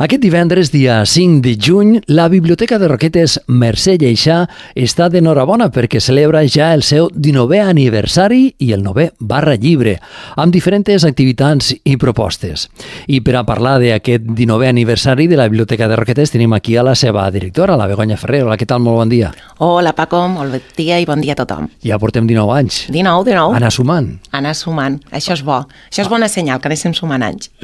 Aquest divendres, dia 5 de juny, la Biblioteca de Roquetes Mercè Lleixà està d'enhorabona perquè celebra ja el seu 19è aniversari i el 9è Barra Llibre, amb diferents activitats i propostes. I per a parlar d'aquest 19è aniversari de la Biblioteca de Roquetes tenim aquí a la seva directora, la Begoña Ferrer. Hola, què tal? Molt bon dia. Hola, Paco, molt bon dia i bon dia a tothom. Ja portem 19 anys. 19. Anar sumant. Anar sumant. Això és bo. Això és bona senyal, que anéssim sumant anys.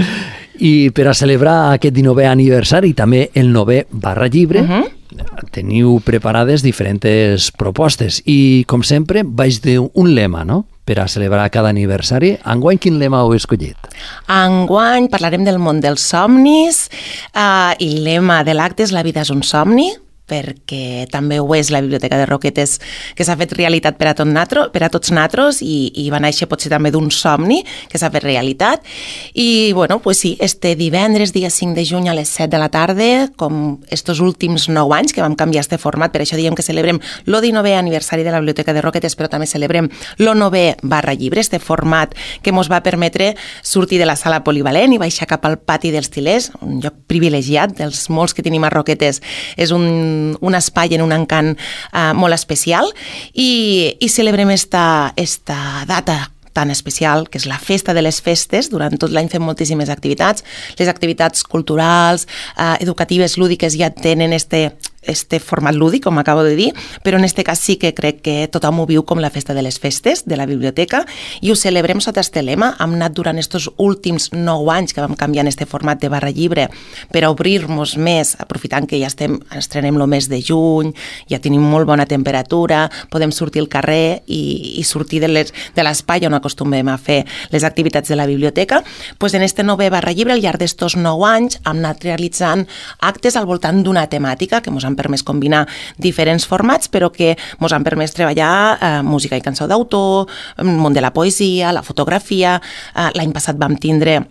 I per a celebrar aquest 19è aniversari i també el 9è Barra Llibre, teniu preparades diferents propostes i, com sempre, vaig d'un lema, no?, per a celebrar cada aniversari. Enguany, quin lema heu escollit? Enguany parlarem del món dels somnis i el lema de l'acte és La vida és un somni, perquè també ho és la Biblioteca de Roquetes, que s'ha fet realitat per a tots natros i va néixer potser també d'un somni que s'ha fet realitat. I, bueno, pues sí, este divendres, dia 5 de juny a les 7 de la tarda, com estos últims 9 anys que vam canviar este format, per això diem que celebrem el 19è aniversari de la Biblioteca de Roquetes, però també celebrem el 9è Barra Llibre, este format que ens va permetre sortir de la sala polivalent i baixar cap al pati dels Til·lers, un lloc privilegiat dels molts que tenim a Roquetes. És un espai en un encant molt especial i celebrem esta data tan especial, que és la festa de les festes. Durant tot l'any fem moltíssimes activitats. Les activitats culturals, educatives, lúdiques ja tenen este format lúdic, com acabo de dir, però en este cas sí que crec que tothom ho viu com la festa de les festes de la biblioteca i ho celebrem sota este lema. Hem anat durant estos últims 9 anys que vam canviar en este format de Barra Llibre per a obrir-nos més, aprofitant que ja estrenem el mes de juny, ja tenim molt bona temperatura, podem sortir al carrer i sortir de l'espai on acostumem a fer les activitats de la biblioteca. Pues en este 9è Barra Llibre, al llarg d'estos 9 anys, hem anat realitzant actes al voltant d'una temàtica que ens han permès combinar diferents formats, però que ens han permès treballar música i cançó d'autor, el món de la poesia, la fotografia. L'any passat vam tindre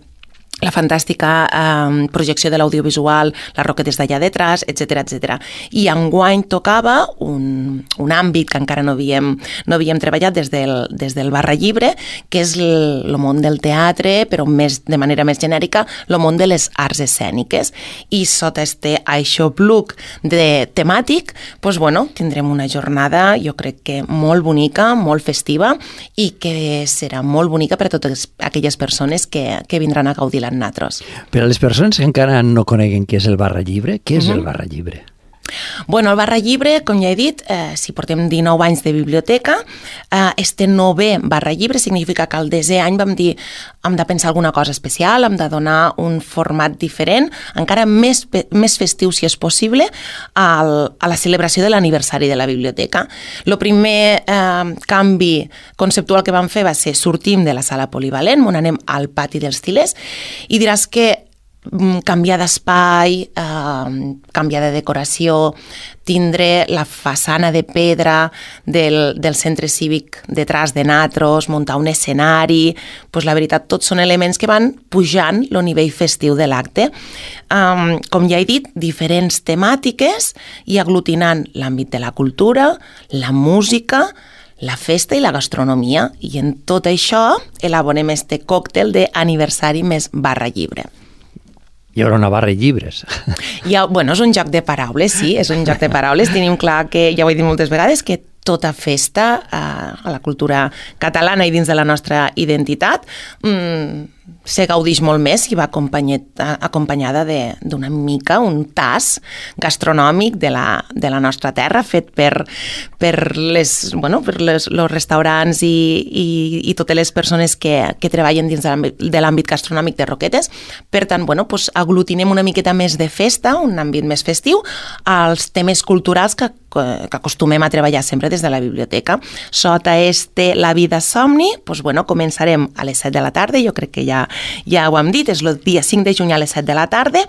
la fantàstica projecció de l'audiovisual, les Roquetes d'allà detrás, etc. I enguany tocava un àmbit que encara no havíem treballat des del Barra Llibre, que és el món del teatre, però de manera més genèrica, el món de les arts escèniques. I sota este aixopluc temàtic, doncs, bueno, tindrem una jornada, jo crec que molt bonica, molt festiva, i que serà molt bonica per a totes aquelles persones que vindran a gaudir natros. Per a les persones que encara no coneguen què és el Barra Llibre, què és el Barra Llibre? Bueno, el Barra Llibre, com ja he dit, si portem 19 anys de biblioteca, este 9è Barra Llibre significa que el 10è any vam dir hem de pensar alguna cosa especial, hem de donar un format diferent, encara més festiu, si és possible, a la celebració de l'aniversari de la biblioteca. El primer canvi conceptual que vam fer va ser sortim de la sala polivalent, on anem al pati dels Til·lers, i diràs que canviar d'espai, canviar de decoració, tindre la façana de pedra del centre cívic detrás de natros, muntar un escenari, doncs la veritat, tots són elements que van pujant el nivell festiu de l'acte. Com ja he dit, diferents temàtiques i aglutinant l'àmbit de la cultura, la música, la festa i la gastronomia. I en tot això elaborem este còctel d'aniversari més Barra Llibre. Hi haurà una barra i llibres. Bueno, és un joc de paraules, sí, és un joc de paraules. Tenim clar que, ja ho he dit moltes vegades, que tota festa a la cultura catalana i dins de la nostra identitat se gaudix molt més si va acompanyada d'una mica, un tas gastronòmic de la nostra terra, fet per els restaurants i totes les persones que treballen dins de l'àmbit gastronòmic de Roquetes. Per tant, aglutinem una miqueta més de festa, un àmbit més festiu, als temes culturals que acostumem a treballar sempre des de la biblioteca. Sota La vida somni, començarem a les 7 de la tarda, jo crec que ja ho hem dit, és el dia 5 de juny a les 7 de la tarda.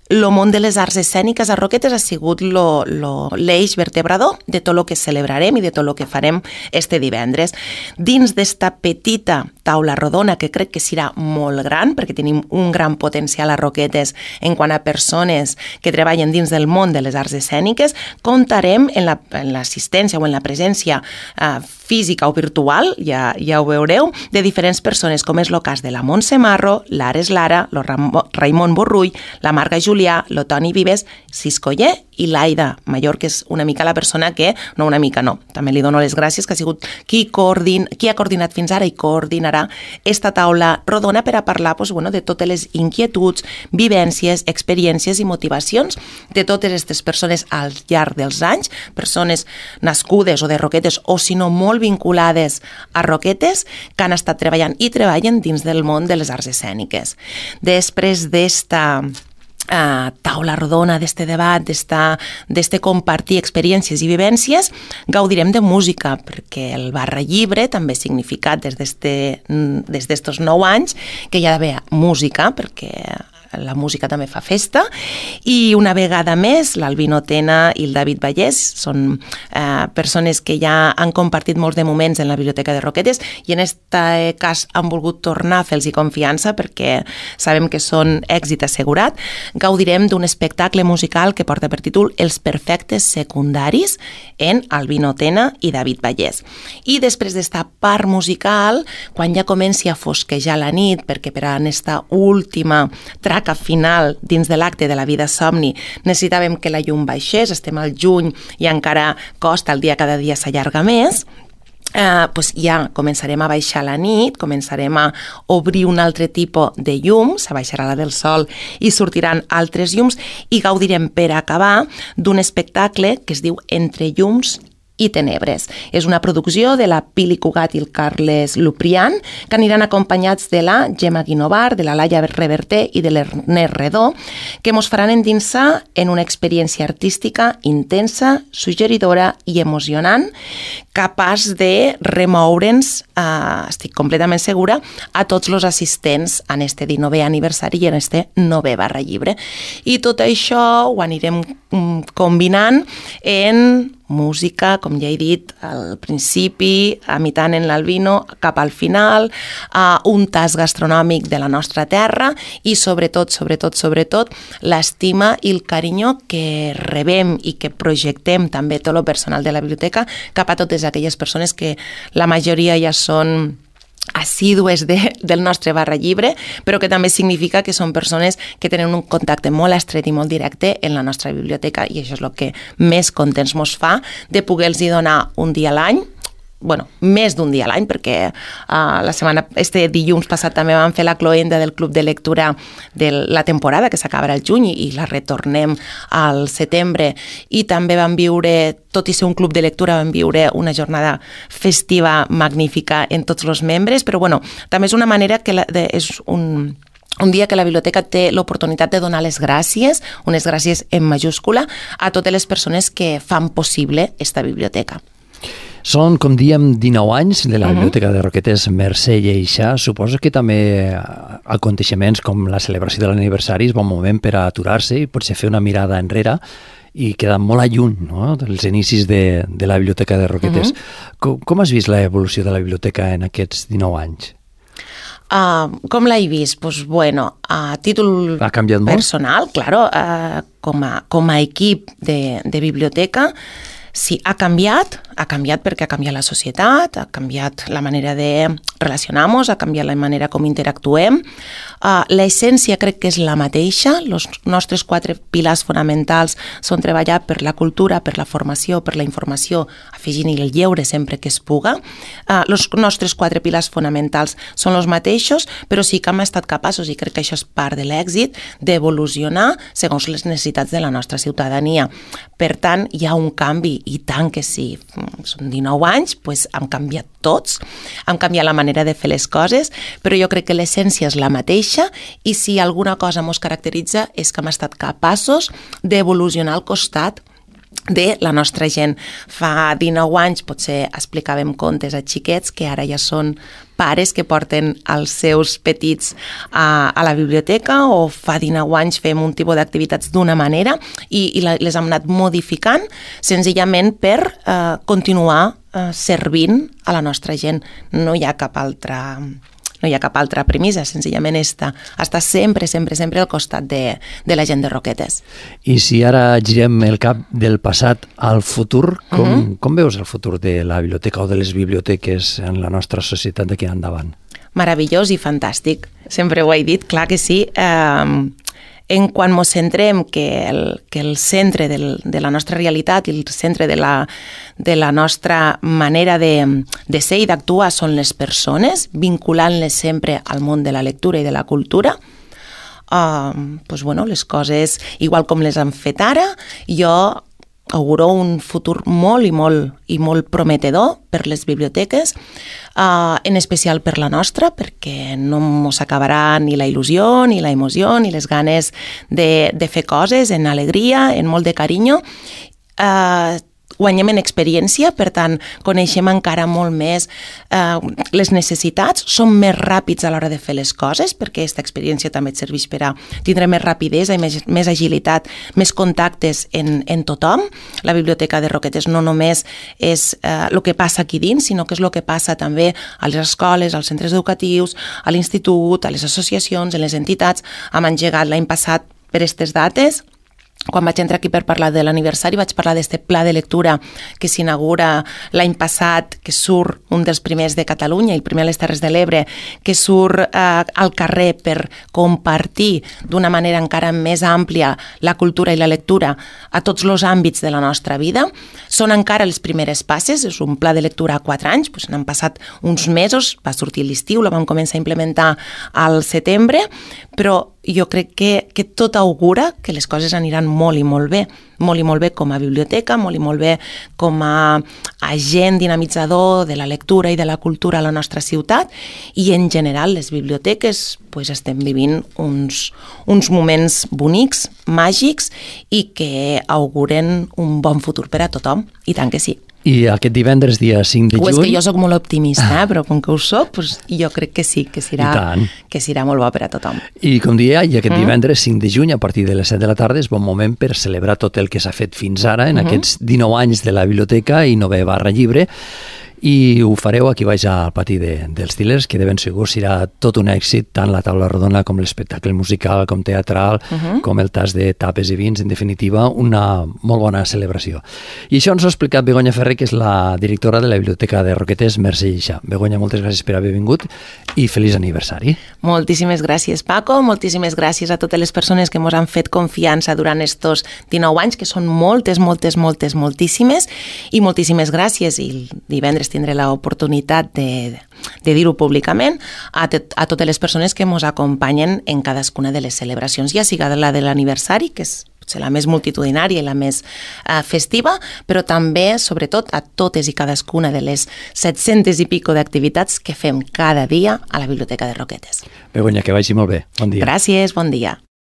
El món de les arts escèniques a Roquetes ha sigut l'eix vertebrador de tot el que celebrarem i de tot el que farem este divendres. Dins d'esta petita taula rodona, que crec que serà molt gran, perquè tenim un gran potencial a Roquetes en quant a persones que treballen dins del món de les arts escèniques. Comptarem en l'assistència o en la presència física o virtual, ja ho veureu, de diferents persones, com és el cas de la Montse Marro, l'Ares Lara, el Raimon Borrull, la Marga Julià, el Toni Vives, Siscoller i l'Aida Mayor, que és una mica la persona que, no una mica, no, també li dono les gràcies, que ha sigut qui ha coordinat fins ara i coordinarà esta taula rodona per a parlar de totes les inquietuds, vivències, experiències i motivacions de totes aquestes persones al llarg dels anys, persones nascudes o de Roquetes o si no molt vinculades a Roquetes, que han estat treballant i treballen dins del món de les arts escèniques. Després d'esta taula rodona, d'este debat, d'este compartir experiències i vivències, gaudirem de música, perquè el Barra Llibre també ha significat des d'estos 9 anys que hi ha d'haver música, perquè la música també fa festa, i una vegada més l'Albino Tena i el David Vallès són persones que ja han compartit molts de moments en la Biblioteca de Roquetes i en aquest cas han volgut tornar a fer-los confiança perquè sabem que són èxit assegurat. Gaudirem d'un espectacle musical que porta per títol Els perfectes secundaris en Albino Tena i David Vallès. I després d'esta part musical, quan ja comenci a fosquejar la nit, perquè per a aquesta última traca final dins de l'acte de la vida somni necessitàvem que la llum baixés, estem al juny i encara costa, el dia cada dia s'allarga més, ja començarem a baixar la nit, començarem a obrir un altre tipus de llum, s'abaixarà la del sol i sortiran altres llums i gaudirem per acabar d'un espectacle que es diu Entre llums i tenebres. És una producció de la Pili Cugat i el Carles Luprian, que aniran acompanyats de la Gemma Guinovar, de la Laia Reverter i de l'Ernest Redó, que mos faran endinsar en una experiència artística intensa, suggeridora i emocionant, capaç de remoure'ns, estic completament segura, a tots els assistents en este 19è aniversari i en este 9è Barra Llibre. I tot això ho anirem combinant en música, com ja he dit al principi, imitant en l'Albino, cap al final, un tas gastronòmic de la nostra terra i sobretot, l'estima i el carinyo que rebem i que projectem també tot el personal de la biblioteca cap a totes aquelles persones que la majoria ja són assídues del nostre Barra Llibre, però que també significa que són persones que tenen un contacte molt estret i molt directe en la nostra biblioteca i això és el que més contents mos fa de poder-los donar un dia a l'any, més d'un dia a l'any, perquè este dilluns passat també vam fer la cloenda del Club de Lectura de la temporada, que s'acabarà el juny i la retornem al setembre, i també vam viure, tot i ser un club de lectura, vam viure una jornada festiva magnífica en tots els membres, però també és una manera que és un dia que la biblioteca té l'oportunitat de donar les gràcies, unes gràcies en majúscula, a totes les persones que fan possible esta biblioteca. Són, com diem, 19 anys de la Biblioteca de Roquetes Mercè Lleixà. Suposo que també aconteixements com la celebració de l'aniversari és bon moment per a aturar-se i potser fer una mirada enrere i quedar molt a lluny, no?, dels inicis de la Biblioteca de Roquetes. Com has vist l'evolució de la biblioteca en aquests 19 anys? Com l'he vist? A títol personal, claro, com a equip de biblioteca, sí, ha canviat perquè ha canviat la societat, ha canviat la manera de relacionar-nos, ha canviat la manera com interactuem. L'essència crec que és la mateixa. Els nostres 4 pilars fonamentals són treballar per la cultura, per la formació, per la informació, afegint-hi el lleure sempre que es puga. Els nostres 4 pilars fonamentals són els mateixos, però sí que hem estat capaços, i crec que això és part de l'èxit, d'evolucionar segons les necessitats de la nostra ciutadania. Per tant, hi ha un canvi, i tant que sí. Són 19 anys, hem canviat tots, hem canviat la manera de fer les coses, però jo crec que l'essència és la mateixa i si alguna cosa ens caracteritza és que hem estat capaços d'evolucionar al costat de la nostra gent. Fa 19 anys potser explicàvem contes a xiquets que ara ja són pares que porten els seus petits a la biblioteca, o fa 19 anys fem un tipus d'activitats d'una manera i les hem anat modificant senzillament per continuar servint a la nostra gent. No hi ha cap altra No hi ha cap altra premissa, senzillament està sempre, sempre, sempre al costat de la gent de Roquetes. I si ara girem el cap del passat al futur, com veus el futur de la biblioteca o de les biblioteques en la nostra societat d'aquí endavant? Meravellós i fantàstic. Sempre ho he dit, clar que sí. En quan ens centrem que el centre de la nostra realitat i el centre de la nostra manera de ser i d'actuar són les persones, vinculant-les sempre al món de la lectura i de la cultura, les coses, igual com les han fet ara, jo auguro un futur molt i molt prometedor per les biblioteques, en especial per la nostra, perquè no ens acabarà ni la il·lusió, ni la emoció, ni les ganes de fer coses en alegria, en molt de carinyo. Guanyem en experiència, per tant, coneixem encara molt més les necessitats, som més ràpids a l'hora de fer les coses, perquè aquesta experiència també et serveix per a tindre més rapidesa i més agilitat, més contactes en tothom. La Biblioteca de Roquetes no només és el que passa aquí dins, sinó que és el que passa també a les escoles, als centres educatius, a l'institut, a les associacions, a les entitats. Hem engegat l'any passat per aquestes dates. Quan vaig entrar aquí per parlar de l'aniversari vaig parlar d'aquest pla de lectura que s'inaugura l'any passat, que surt un dels primers de Catalunya, el primer a les Terres de l'Ebre, que surt al carrer per compartir d'una manera encara més àmplia la cultura i la lectura a tots els àmbits de la nostra vida. Són encara les primeres passes, és un pla de lectura a 4 anys, n'han passat uns mesos, va sortir l'estiu, la vam començar a implementar al setembre, però jo crec que tot augura que les coses aniran molt i molt bé com a biblioteca, molt i molt bé com a agent dinamitzador de la lectura i de la cultura a la nostra ciutat, i en general les biblioteques estem vivint uns moments bonics, màgics, i que auguren un bon futur per a tothom, i tant que sí. I aquest divendres, dia 5 de juny... És que jo soc molt optimista, però com que ho soc, jo crec que sí, que serà molt bo per a tothom. I com deia, aquest divendres 5 de juny, a partir de les 7 de la tarda, és bon moment per celebrar tot el que s'ha fet fins ara, en aquests 19 anys de la biblioteca i 9 /llibre, i ho fareu aquí baix al pati dels Til·lers, que de ben segur serà tot un èxit, tant la taula rodona com l'espectacle musical, com teatral, com el tas de tapes i vins, en definitiva, una molt bona celebració. I això ens ho ha explicat Begoña Ferrer, que és la directora de la Biblioteca de Roquetes, Mercè Lleixà. Begoña, moltes gràcies per haver vingut i feliç aniversari. Moltíssimes gràcies, Paco, moltíssimes gràcies a totes les persones que ens han fet confiança durant estos 19 anys, que són moltíssimes, i moltíssimes gràcies, i el divendres tindré l'oportunitat de dir-ho públicament a totes les persones que ens acompanyen en cadascuna de les celebracions, ja siga la de l'aniversari, que és potser la més multitudinària i la més festiva, però també, sobretot, a totes i cadascuna de les 700 i pico d'activitats que fem cada dia a la Biblioteca de Roquetes. Begoña, que vagi molt bé. Bon dia. Gràcies, bon dia.